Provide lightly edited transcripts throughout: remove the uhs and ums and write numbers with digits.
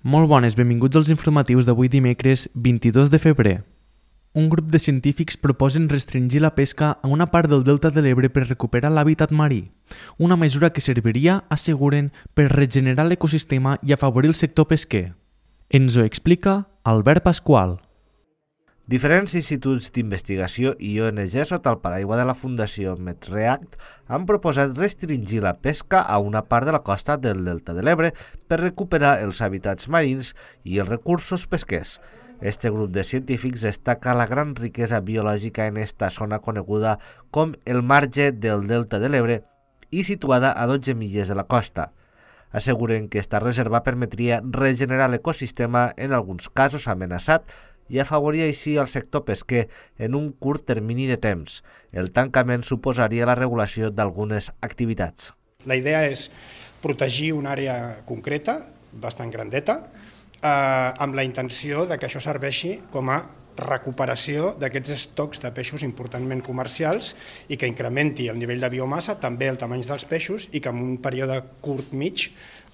Molt bones, benvinguts als informatius d'avui dimecres 22 de febrer. Un grup de científics proposen restringir la pesca a una part del delta de l'Ebre per recuperar l'hàbitat marí, una mesura que serviria, asseguren, per regenerar l'ecosistema i afavorir el sector pesquer. Ens ho explica Albert Pasqual. Diferents instituts d'investigació i ONG sota el paraigua de la Fundació MedReact han proposat restringir la pesca a una part de la costa del delta de l'Ebre per recuperar els hàbitats marins i els recursos pesquers. Este grup de científics destaca la gran riquesa biològica en esta zona coneguda com el marge del delta de l'Ebre i situada a 12 milles de la costa. Asseguren que esta reserva permetria regenerar l'ecosistema en alguns casos amenaçat i afavoria així el sector pesquer en un curt termini de temps. El tancament suposaria la regulació d'algunes activitats. La idea és protegir una àrea concreta, bastant grandeta, amb la intenció de que això serveixi com a recuperació d'aquests estocs de peixos importantment comercials i que incrementi el nivell de biomassa, també el tamany dels peixos, i que en un període curt mig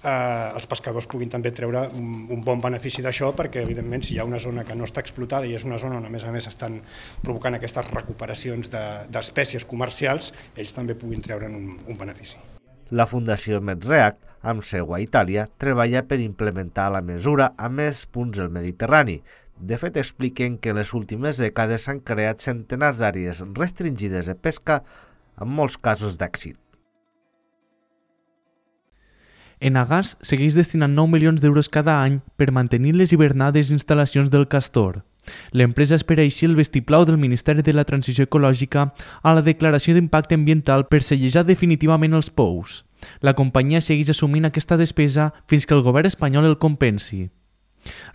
els pescadors puguin també treure un bon benefici d'això, perquè evidentment si hi ha una zona que no està explotada i és una zona on a més estan provocant aquestes recuperacions d'espècies comercials, ells també puguin treure'n un benefici. La Fundació MedReact, amb seu a Itàlia, treballa per implementar la mesura a més punts del Mediterrani. De fet, expliquen que en les últimes dècades s'han creat centenars d'àrees restringides de pesca, amb molts casos d'èxit. Enagás segueix destinant 9 milions d'euros cada any per mantenir les hivernades instal·lacions del Castor. L'empresa espera així el vistiplau del Ministeri de la Transició Ecològica a la declaració d'impacte ambiental per sellejar definitivament els pous. La companyia segueix assumint aquesta despesa fins que el govern espanyol el compensi.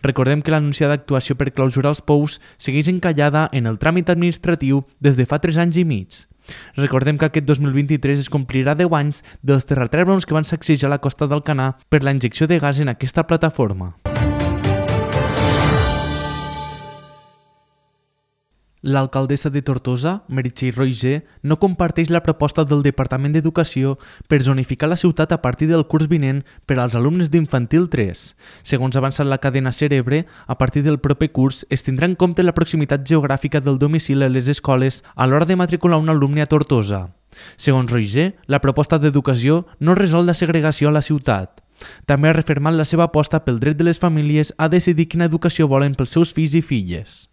Recordem que l'anunciada actuació per clausurar els pous segueix encallada en el tràmit administratiu des de fa 3 anys i mig. Recordem que aquest 2023 es complirà 10 anys dels terratrèmols que van sacsejar la costa d'Alcanar per la injecció de gas en aquesta plataforma. L'alcaldessa de Tortosa, Meritxell Roigé, no comparteix la proposta del Departament d'Educació per zonificar la ciutat a partir del curs vinent per als alumnes d'Infantil 3. Segons ha avançat la cadena Cerebre, a partir del proper curs es tindrà en compte la proximitat geogràfica del domicili a les escoles a l'hora de matricular un alumne a Tortosa. Segons Roigé, la proposta d'educació no resol la segregació a la ciutat. També ha refermat la seva aposta pel dret de les famílies a decidir quina educació volen pels seus fills i filles.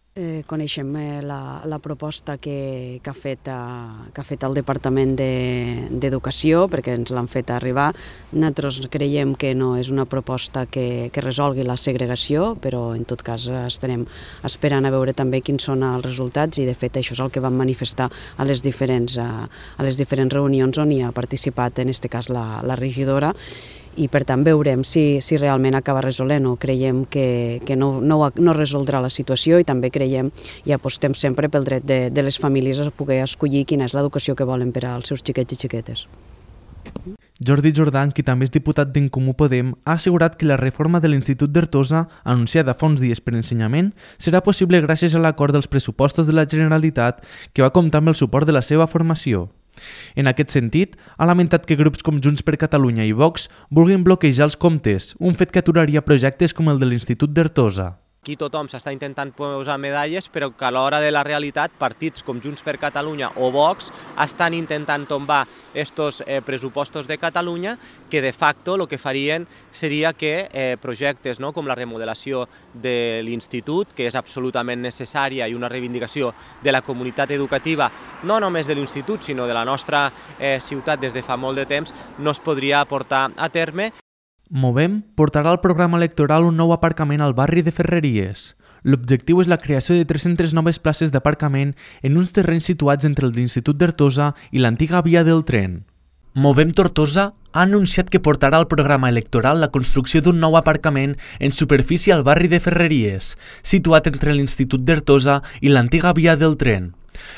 Coneixem la proposta que ha fet el Departament d'Educació, perquè ens l'han fet arribar. Nosaltres creiem que no és una proposta que resolgui la segregació, però en tot cas estarem esperant a veure també quins són els resultats, i de fet això és el que vam manifestar a les diferents reunions on hi ha participat, en aquest cas la regidora, i per tant veurem si realment acaba resolent o creiem que no resoldrà la situació, i també creiem i apostem sempre pel dret de les famílies a poder escollir quina és l'educació que volen per als seus xiquets i xiquetes. Jordi Jordan, qui també és diputat d'En Comú Podem, ha assegurat que la reforma de l'Institut d'Artosa, anunciada fa uns dies per Ensenyament, serà possible gràcies a l'acord dels pressupostos de la Generalitat, que va comptar amb el suport de la seva formació. En aquest sentit, ha lamentat que grups com Junts per Catalunya i Vox vulguin bloquejar els comptes, un fet que aturaria projectes com el de l'Institut d'Artosa. Aquí tothom s'està intentant posar medalles, però que a l'hora de la realitat partits com Junts per Catalunya o Vox estan intentant tombar estos pressupostos de Catalunya, que de facto el que farien seria que projectes com la remodelació de l'institut, que és absolutament necessària i una reivindicació de la comunitat educativa, no només de l'institut, sinó de la nostra ciutat des de fa molt de temps, no es podria portar a terme. Movem portarà al programa electoral un nou aparcament al barri de Ferreries. L'objectiu és la creació de 300 noves places d'aparcament en uns terrenys situats entre l'Institut d'Artosa i l'antiga via del tren. Movem Tortosa ha anunciat que portarà al programa electoral la construcció d'un nou aparcament en superfície al barri de Ferreries, situat entre l'Institut d'Artosa i l'antiga via del tren.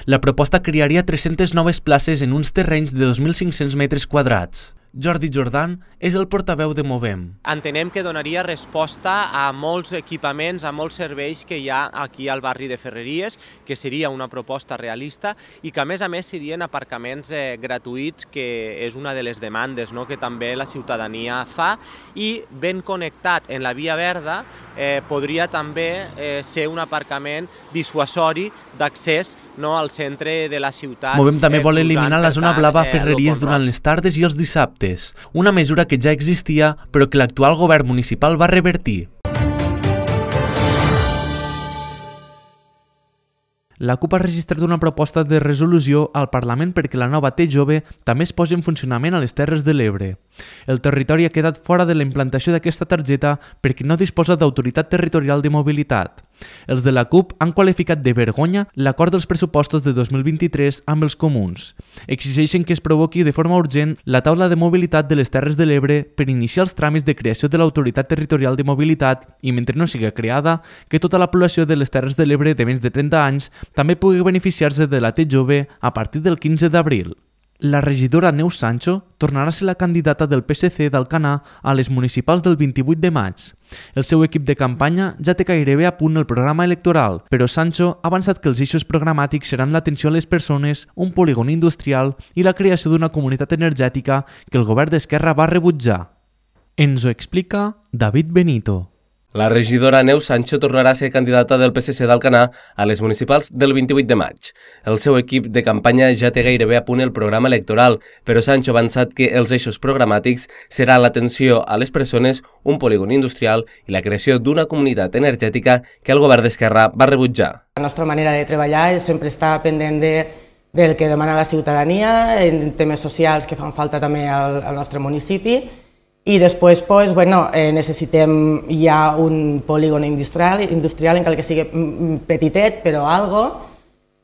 La proposta crearia 300 noves places en uns terrenys de 2.500 metres quadrats. Jordi Jordan és el portaveu de Movem. Entenem que donaria resposta a molts equipaments, a molts serveis que hi ha aquí al barri de Ferreries, que seria una proposta realista i que a més serien aparcaments gratuïts, que és una de les demandes que també la ciutadania fa, i ben connectat en la Via Verda podria també ser un aparcament dissuasori d'accés al centre de la ciutat. Movem també vol eliminar la zona blava a Ferreries durant les tardes i els dissabtes, una mesura que ja existia però que l'actual govern municipal va revertir. La CUP ha registrat una proposta de resolució al Parlament perquè la nova T-Jove també es posi en funcionament a les Terres de l'Ebre. El territori ha quedat fora de la implantació d'aquesta targeta perquè no disposa d'autoritat territorial de mobilitat. Els de la CUP han qualificat de vergonya l'acord dels pressupostos de 2023 amb els comuns. Exigeixen que es provoqui de forma urgent la taula de mobilitat de les Terres de l'Ebre per iniciar els tràmits de creació de l'autoritat territorial de mobilitat i, mentre no sigui creada, que tota la població de les Terres de l'Ebre de menys de 30 anys també pugui beneficiar-se de la T-Jove a partir del 15 d'abril. La regidora Neus Sancho tornarà a ser la candidata del PSC d'Alcanar a les municipals del 28 de maig. El seu equip de campanya ja té gairebé a punt el programa electoral, però Sancho ha avançat que els eixos programàtics seran l'atenció a les persones, un polígon industrial i la creació d'una comunitat energètica que el govern d'Esquerra va rebutjar. Ens ho explica David Benito. La regidora Neus Sancho tornarà a ser candidata del PSC d'Alcanar a les municipals del 28 de maig. El seu equip de campanya ja té gairebé a punt el programa electoral, però Sancho ha avançat que els eixos programàtics serà l'atenció a les persones, un polígon industrial i la creació d'una comunitat energètica que el govern d'Esquerra va rebutjar. La nostra manera de treballar és sempre estar pendent del que demana la ciutadania, en temes socials que fan falta també al nostre municipi. I després necessitem ja un polígon industrial, encara que sigui petitet, però algo.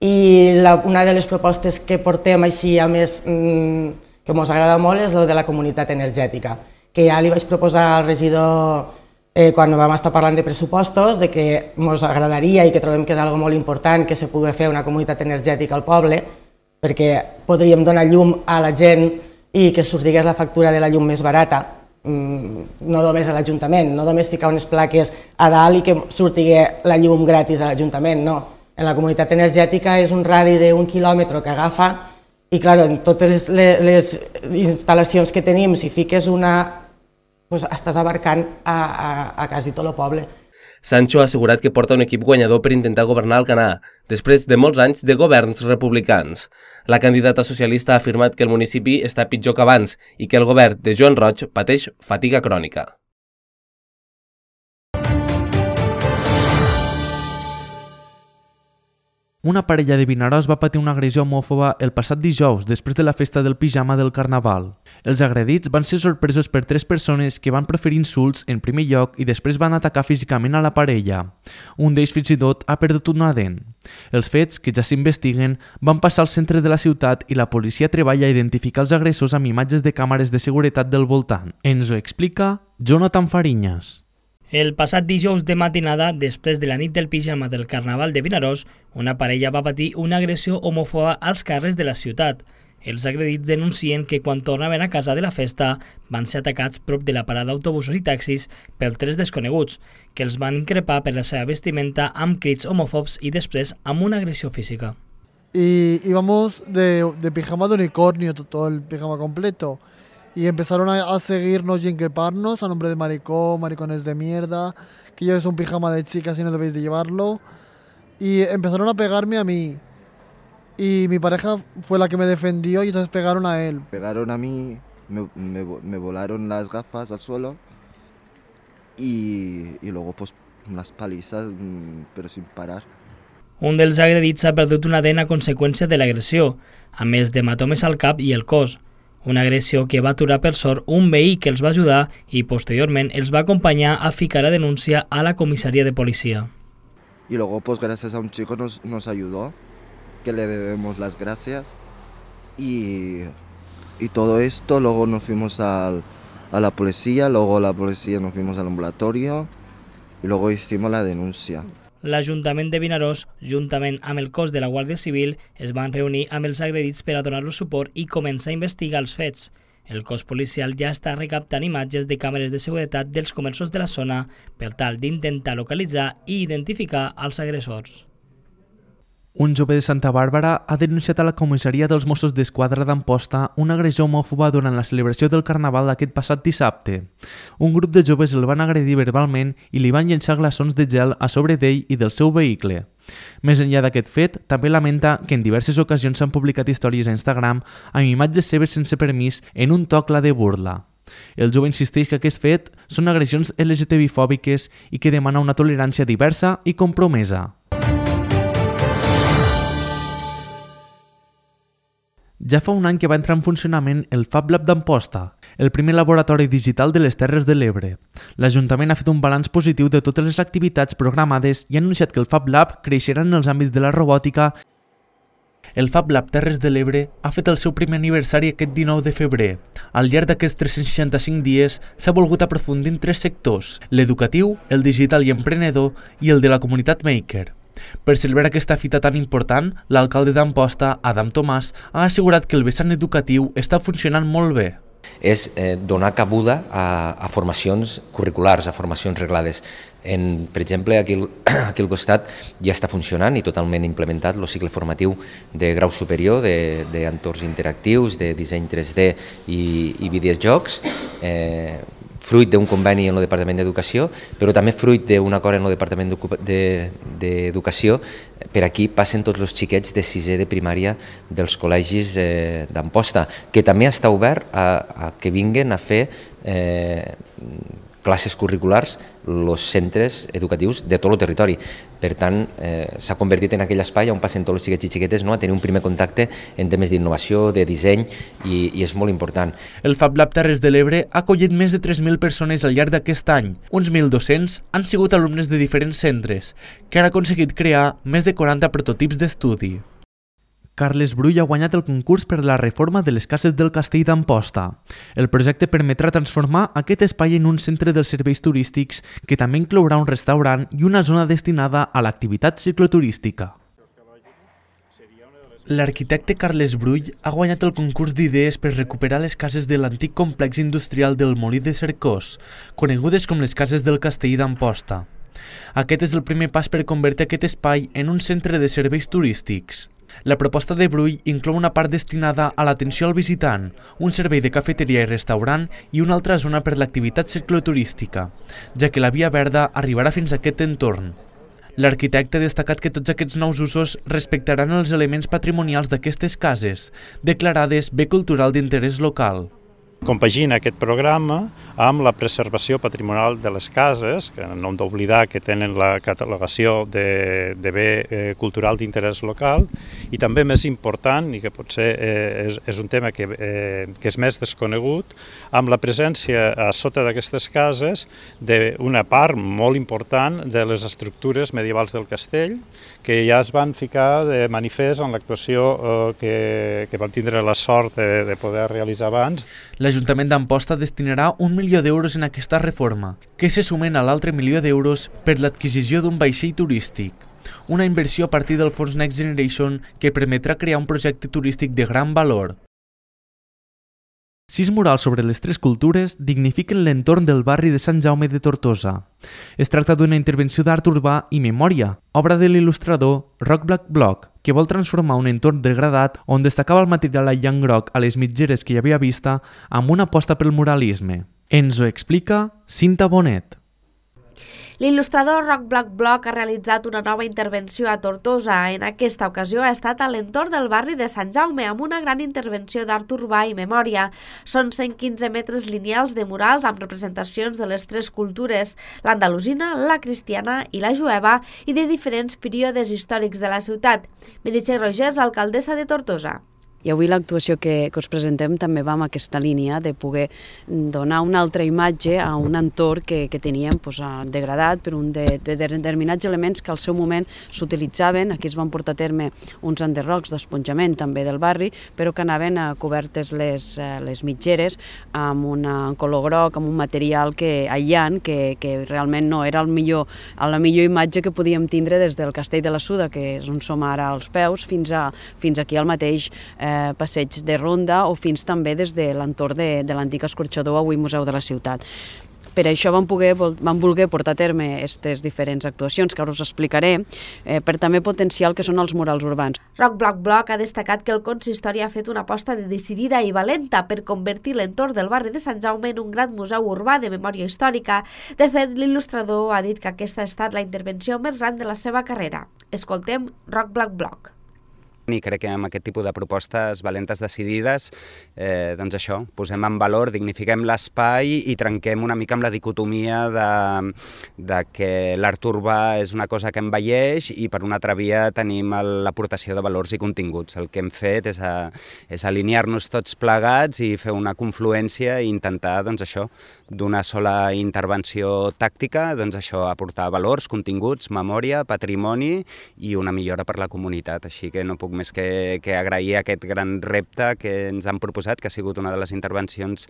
I una de les propostes que portem així, a més, que ens agrada molt, és la de la comunitat energètica, que ja li vaig proposar al regidor quan vam estar parlant de pressupostos, de que ens agradaria i que trobem que és algo molt important que se pugui fer una comunitat energètica al poble, perquè podríem donar llum a la gent i que sortigués la factura de la llum més barata. No només a l'Ajuntament, no només ficar unes plaques a dalt i que surtigui la llum gratis a l'Ajuntament, no. En la comunitat energètica és un radi d'1 quilòmetre que agafa i, clar, en totes les instal·lacions que tenim, si fiques una, estàs abarcant a quasi tot el poble. Sancho ha assegurat que porta un equip guanyador per intentar governar Alcanar, després de molts anys de governs republicans. La candidata socialista ha afirmat que el municipi està pitjor que abans i que el govern de Joan Roig pateix fatiga crònica. Una parella de Vinaròs va patir una agressió homòfoba el passat dijous després de la festa del pijama del Carnaval. Els agredits van ser sorpresos per 3 persones que van proferir insults en primer lloc i després van atacar físicament a la parella. Un d'ells fins i tot ha perdut una dent. Els fets, que ja s'investiguen, van passar al centre de la ciutat i la policia treballa a identificar els agressors amb imatges de càmeres de seguretat del voltant. Ens ho explica Jonathan Fariñas. El passat dijous de matinada, després de la nit del pijama del Carnaval de Vinaròs, una parella va patir una agressió homòfoba als carrers de la ciutat. Els agredits denuncien que quan tornaven a casa de la festa van ser atacats prop de la parada d'autobusos i taxis per 3 desconeguts, que els van increpar per la seva vestimenta amb crits homòfobs i després amb una agressió física. Y íbamos de pijama de unicornio, todo el pijama completo. Y empezaron a seguirnos y increparnos a nombre de maricón, maricones de mierda, que lleves un pijama de chicas y no debéis de llevarlo. Y empezaron a pegarme a mí. Y mi pareja fue la que me defendió y entonces pegaron a él. Pegaron a mí, me volaron las gafas al suelo y luego pues unas palizas, pero sin parar. Un dels agredits ha perdut una dent a conseqüència de l'agressió, a més d'hematomes al cap i el cos. Una agressió que va aturar per sort un veí que els va ajudar i posteriorment els va acompanyar a ficar la denúncia a la comissaria de policía. Y luego pues gracias a un chico nos ayudó, que le debemos las gracias y todo esto, luego nos fuimos a la policía, luego la policía nos fuimos al ambulatorio y luego hicimos la denuncia. L'Ajuntament de Vinaròs, juntament amb el cos de la Guàrdia Civil, es van reunir amb els agredits per a donar-los suport i començar a investigar els fets. El cos policial ja està recaptant imatges de càmeres de seguretat dels comerços de la zona per tal d'intentar localitzar i identificar els agressors. Un jove de Santa Bàrbara ha denunciat a la comissaria dels Mossos d'Esquadra d'Amposta una agressió homòfoba durant la celebració del Carnaval d'aquest passat dissabte. Un grup de joves el van agredir verbalment i li van llençar glaçons de gel a sobre d'ell i del seu vehicle. Més enllà d'aquest fet, també lamenta que en diverses ocasions s'han publicat històries a Instagram amb imatges seves sense permís en un to clar de burla. El jove insisteix que aquest fet són agressions LGTBI-fòbiques i que demana una tolerància diversa i compromesa. Ja fa un any que va entrar en funcionament el Fab Lab d'Amposta, el primer laboratori digital de les Terres de l'Ebre. L'Ajuntament ha fet un balanç positiu de totes les activitats programades i ha anunciat que el Fab Lab creixerà en els àmbits de la robòtica. El Fab Lab Terres de l'Ebre ha fet el seu primer aniversari aquest 19 de febrer. Al llarg d'aquests 365 dies s'ha volgut aprofundir en 3 sectors: l'educatiu, el digital i emprenedor i el de la comunitat maker. Per celebrar aquesta fita tan important, l'alcalde d'Amposta, Adam Tomàs, ha assegurat que el vessant educatiu està funcionant molt bé. És donar cabuda a formacions curriculars, a formacions reglades. Per exemple, aquí al costat ja està funcionant i totalment implementat el cicle formatiu de grau superior d'entorns interactius, de disseny 3D i videojocs, fruit d'un conveni en el Departament d'Educació, però també fruit d'un acord en el Departament d'Educació. Per aquí passen tots els xiquets de 6è de primària dels col·legis d'Amposta, que també està obert a que vinguin a fer classes curriculars els centres educatius de tot el territori. Per tant, s'ha convertit en aquell espai on passen tots els xiquets i xiquetes a tenir un primer contacte en temes d'innovació, de disseny, i és molt important. El Fab Lab Terres de l'Ebre ha acollit més de 3.000 persones al llarg d'aquest any. Uns 1.200 han sigut alumnes de diferents centres, que han aconseguit crear més de 40 prototips d'estudi. Carles Brull ha guanyat el concurs per la reforma de les cases del Castell d'Amposta. El projecte permetrà transformar aquest espai en un centre dels serveis turístics que també inclourà un restaurant i una zona destinada a l'activitat cicloturística. L'arquitecte Carles Brull ha guanyat el concurs d'idees per recuperar les cases de l'antic complex industrial del Molí de Cercós, conegudes com les cases del Castell d'Amposta. Aquest és el primer pas per convertir aquest espai en un centre de serveis turístics. La proposta de Brull inclou una part destinada a l'atenció al visitant, un servei de cafeteria i restaurant i una altra zona per l'activitat cicloturística, ja que la Via Verda arribarà fins a aquest entorn. L'arquitecte ha destacat que tots aquests nous usos respectaran els elements patrimonials d'aquestes cases, declarades bé cultural d'interès local. Compagina aquest programa amb la preservació patrimonial de les cases, que no hem d'oblidar que tenen la catalogació de bé cultural d'interès local, i també més important, i que potser és un tema que és més desconegut, amb la presència a sota d'aquestes cases d'una part molt important de les estructures medievals del castell, que ja es van ficar de manifest en l'actuació que vam tindre la sort de poder realitzar abans. L'Ajuntament d'Amposta destinarà 1 milió d'euros en aquesta reforma, que se sumen a l'altre milió d'euros per l'adquisició d'un vaixell turístic. Una inversió a partir del fons Next Generation que permetrà crear un projecte turístic de gran valor. 6 murals sobre les 3 cultures dignifiquen l'entorn del barri de Sant Jaume de Tortosa. Es tracta d'una intervenció d'art urbà i memòria, obra de l'il·lustrador Roc Black Block, que vol transformar un entorn degradat on destacava el material aïllant groc a les mitgeres que hi havia vista amb una aposta pel muralisme. Ens ho explica Cinta Bonet. L'il·lustrador Roc Black Block ha realitzat una nova intervenció a Tortosa. En aquesta ocasió ha estat a l'entorn del barri de Sant Jaume amb una gran intervenció d'art urbà i memòria. Són 115 metres lineals de murals amb representacions de les 3 cultures, l'andalusina, la cristiana i la jueva, i de diferents períodes històrics de la ciutat. Meritxell Rogers, alcaldessa de Tortosa. I avui l'actuació que us presentem també va en aquesta línia de poder donar una altra imatge a un entorn que teníem degradat per un de determinats elements que al seu moment s'utilitzaven. Aquí es van portar a terme uns enderrocs d'esponjament també del barri, però que anaven cobertes les mitgeres amb un color groc, amb un material aïllant que realment no era la millor imatge que podíem tindre des del Castell de la Suda, que és on som ara als peus, fins aquí al mateix passeig de Ronda o fins també des de l'entorn de l'antic escorxador, avui Museu de la Ciutat. Per això vam voler portar a terme aquestes diferents actuacions que ara us explicaré, per també potenciar el que són els murals urbans. Rock Block Block ha destacat que el consistori ha fet una aposta decidida i valenta per convertir l'entorn del barri de Sant Jaume en un gran museu urbà de memòria històrica. De fet, l'il·lustrador ha dit que aquesta ha estat la intervenció més gran de la seva carrera. Escoltem Rock Block Block. I crec que amb aquest tipus de propostes valentes decidides, doncs això, posem en valor, dignifiquem l'espai i trenquem una mica amb la dicotomia de que l'art urbà és una cosa que envelleix i per una altra via tenim l'aportació de valors i continguts. El que hem fet és alinear-nos tots plegats i fer una confluència i intentar, doncs això, d'una sola intervenció tàctica, doncs això, aportar valors, continguts, memòria, patrimoni i una millora per la comunitat. Així que no puc més que agrair aquest gran repte que ens han proposat, que ha sigut una de les intervencions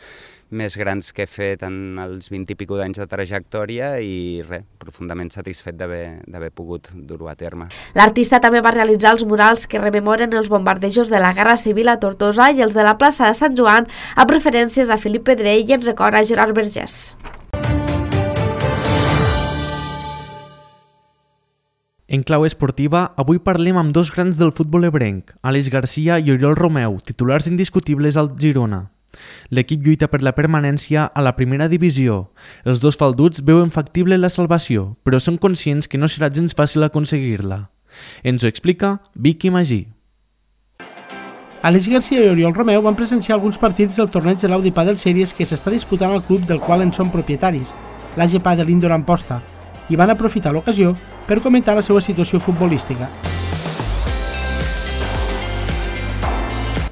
més grans que he fet en els 20 i pico d'anys de trajectòria i profundament satisfet d'haver pogut dur-ho a terme. L'artista també va realitzar els murals que rememoren els bombardejos de la Guerra Civil a Tortosa i els de la plaça de Sant Joan, amb referències a Felip Pedrell i en record a Gerard Vergés. En clau esportiva, avui parlem amb dos grans del futbol ebrenc, Àlex Garcia i Oriol Romeu, titulars indiscutibles al Girona. L'equip lluita per la permanència a la primera divisió. Els dos falduts veuen factible la salvació, però són conscients que no serà gens fàcil aconseguir-la. Ens ho explica Vicky Magí. Àlex Garcia i Oriol Romeu van presenciar alguns partits del torneig de l'Audi Padel Series que s'està disputant al club del qual en són propietaris, l'AG Padel Indoor Amposta, i van aprofitar l'ocasió per comentar la seva situació futbolística.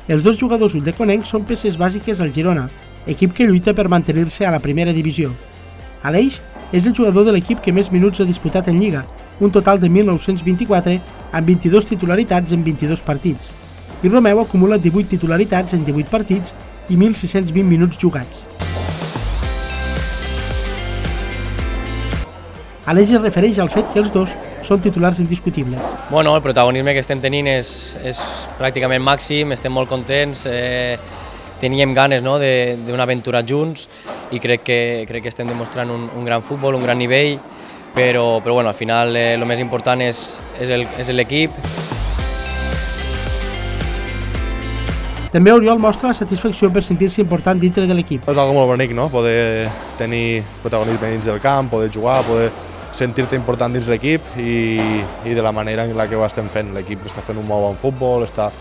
Els dos jugadors ulldecona són peces bàsiques al Girona, equip que lluita per mantenir-se a la primera divisió. Àlex és el jugador de l'equip que més minuts ha disputat en Lliga, un total de 1.924 amb 22 titularitats en 22 partits, i Romeu acumula 18 titularitats en 18 partits i 1.620 minuts jugats. Àlex es refereix al fet que els dos són titulars indiscutibles. Bueno, el protagonisme que estem tenint és pràcticament màxim, estem molt contents, teníem ganes d'una aventura junts i crec que estem demostrant un gran futbol, un gran nivell, però bueno, al final el més important és l'equip. També Oriol mostra la satisfacció per sentir-se important dintre de l'equip. És algo molt bonic, no? Poder tenir protagonisme dins del camp, poder jugar, poder sentir-te important dins l'equip i de la manera en la que ho estem fent. L'equip està fent un molt bon futbol, està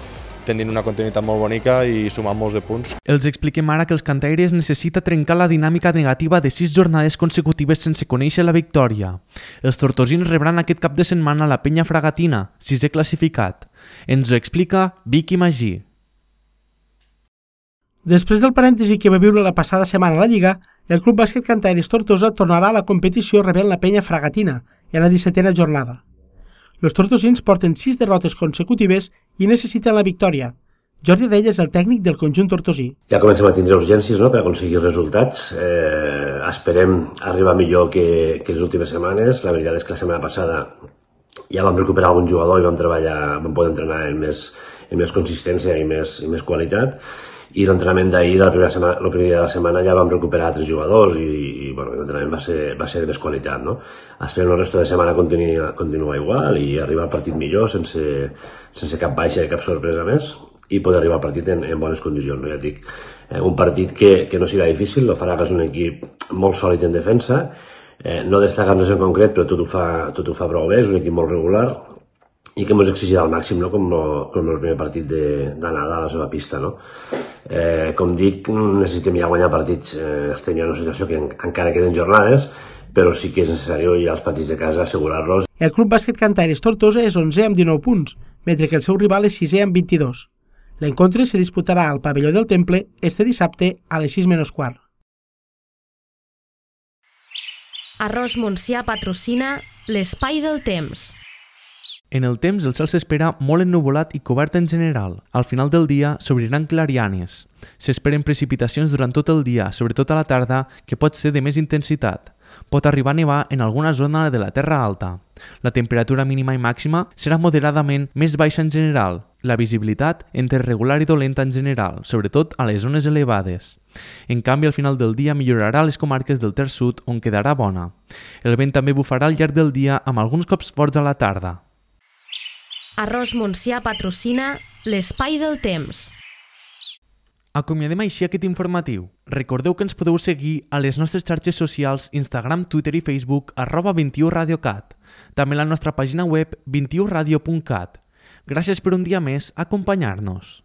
tenint una continuïtat molt bonica i sumant molts de punts. Els expliquem ara que els cantaires necessita trencar la dinàmica negativa de 6 jornades consecutives sense conèixer la victòria. Els tortosins rebran aquest cap de setmana la Penya Fragatina, 6è classificat. Ens ho explica Vicky Magí. Després del parèntesi que va viure la passada setmana a la Lliga, el Club Bàsquet Cantaires Tortosa tornarà a la competició rebent la Penya Fragatina, en la 17a jornada. Els tortosins porten 6 derrotes consecutives i necessiten la victòria. Jordi Adell és el tècnic del conjunt tortosí. Ja comencem a tindre urgències per aconseguir resultats. Esperem arribar millor que les últimes setmanes. La veritat és que la setmana passada ja vam recuperar algun jugador i vam poder entrenar amb més consistència i més qualitat. I l'entrenament d'ahir, el primer dia de la setmana, ja vam recuperar 3 jugadors i l'entrenament va ser de més qualitat. Esperem el resto de setmana continuar igual i arribar al partit millor, sense cap baixa i cap sorpresa més, i poder arribar al partit en bones condicions. Ja et dic, un partit que no serà difícil, el Faraga és un equip molt sòlid en defensa, no destaca res en concret, però tot ho fa prou bé, és un equip molt regular, i que ens exigirà al màxim, com el primer partit d'anada a la seva pista. Com dic, necessitem ja guanyar partits. Estem ja en una situació que encara queden jornades, però sí que és necessari ja els partits de casa assegurar-los. El Club Bàsquet Cantaires Tortosa és 11è amb 19 punts, mentre que el seu rival és 6è amb 22. L'encontre se disputarà al pavelló del Temple este dissabte a les 6:15. Arròs Montsià patrocina l'Espai del Temps. En el temps el cel s'espera molt ennuvolat i cobert en general. Al final del dia s'obriran clarianes. S'esperen precipitacions durant tot el dia, sobretot a la tarda, que pot ser de més intensitat. Pot arribar a nevar en alguna zona de la Terra Alta. La temperatura mínima i màxima serà moderadament més baixa en general. La visibilitat entre regular i dolenta en general, sobretot a les zones elevades. En canvi, al final del dia millorarà a les comarques del Ter Sud, on quedarà bona. El vent també bufarà al llarg del dia amb alguns cops forts a la tarda. Arròs Montsià patrocina l'Espai del Temps. Acomiadem així aquest informatiu. Recordeu que ens podeu seguir a les nostres xarxes socials Instagram, Twitter i Facebook @21radiocat. També a la nostra pàgina web 21radio.cat. Gràcies per un dia més acompanyar-nos.